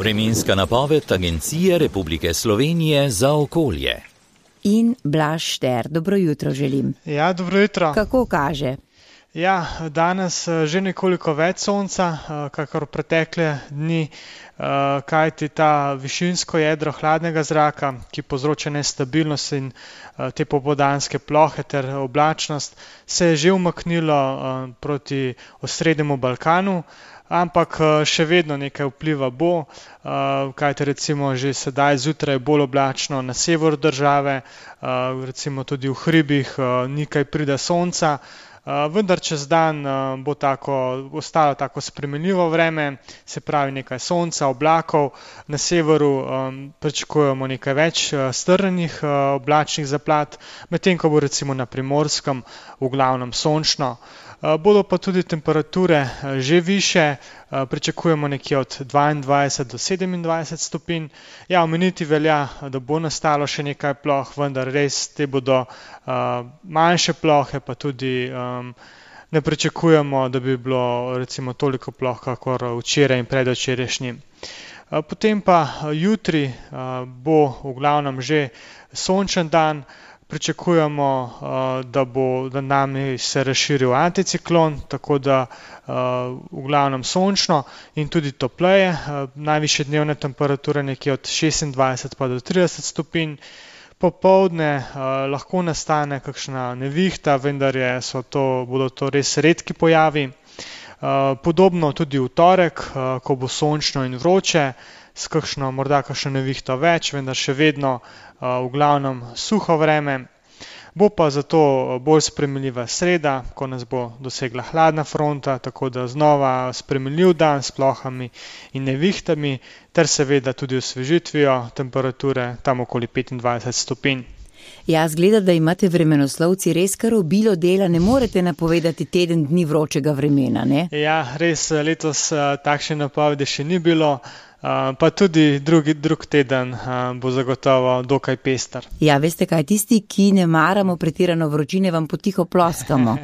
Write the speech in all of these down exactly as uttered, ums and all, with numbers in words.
Vremenska napoved Agencije Republike Slovenije za okolje. In Blaž Šter, dobro jutro želim. Ja, dobro jutro. Kako kaže? Ja, danes že nekoliko več sonca, kakor pretekle dni, kajti ta višinsko jedro hladnega zraka, ki povzroča nestabilnost in te popoldanske plohe ter oblačnost, se je že umaknilo proti osrednjemu Balkanu, ampak še vedno nekaj vpliva bo, kajti recimo že sedaj zjutraj je bolj oblačno na severu države, recimo tudi v hribih ni kaj prida sonca. Vendar čez dan bo tako, ostalo tako spremenljivo vreme, se pravi nekaj sonca, oblakov, na severu um, pričakujemo nekaj več strjenih uh, oblačnih zaplat, medtem ko bo recimo na Primorskem v glavnem sončno. Uh, bodo pa tudi temperature uh, že više, uh, pričakujemo nekje od dvaindvajset do sedemindvajset stopinj. Ja, omeniti velja, da bo nastalo še nekaj ploh, vendar res te bodo uh, manjše plohe, pa tudi um, ne pričakujemo, da bi bilo recimo toliko ploh, kakor včeraj in predvčerajšnjim. Uh, potem pa jutri uh, bo v glavnem že sončen dan. Pričakujemo, da bo nad nami se razširil anticiklon, tako da v glavnem sončno in tudi topleje. Najvišje dnevne temperature nekje od šestindvajset pa do trideset stopinj. Popoldne lahko nastane kakšna nevihta, vendar je, so to, bodo to res redki pojavi. Podobno tudi v torek, ko bo sončno in vroče, s kakšno, morda kakšno nevihto več, vendar še vedno v glavnem suho vreme. Bo pa zato bolj spremenljiva sreda, ko nas bo dosegla hladna fronta, tako da znova spremenljiv dan s plohami in nevihtami, ter seveda tudi osvežitvijo temperature tam okoli petindvajset stopinj. Ja, zgleda, da imate vremenoslovci res kar obilo dela, ne morete napovedati teden dni vročega vremena, ne? Ja, res letos takšne napovedi še ni bilo, pa tudi drugi, drug teden bo zagotovo dokaj pester. Ja, veste kaj, tisti, ki ne maramo pretirano vročine, vam potiho ploskamo.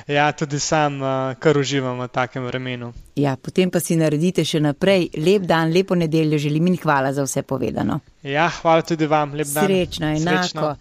Ja, tudi sam kar uživam v takem vremenu. Ja, potem pa si naredite še naprej. Lep dan, lepo nedeljo želim in hvala za vse povedano. Ja, hvala tudi vam, lep dan. Srečno, enako. Srečno.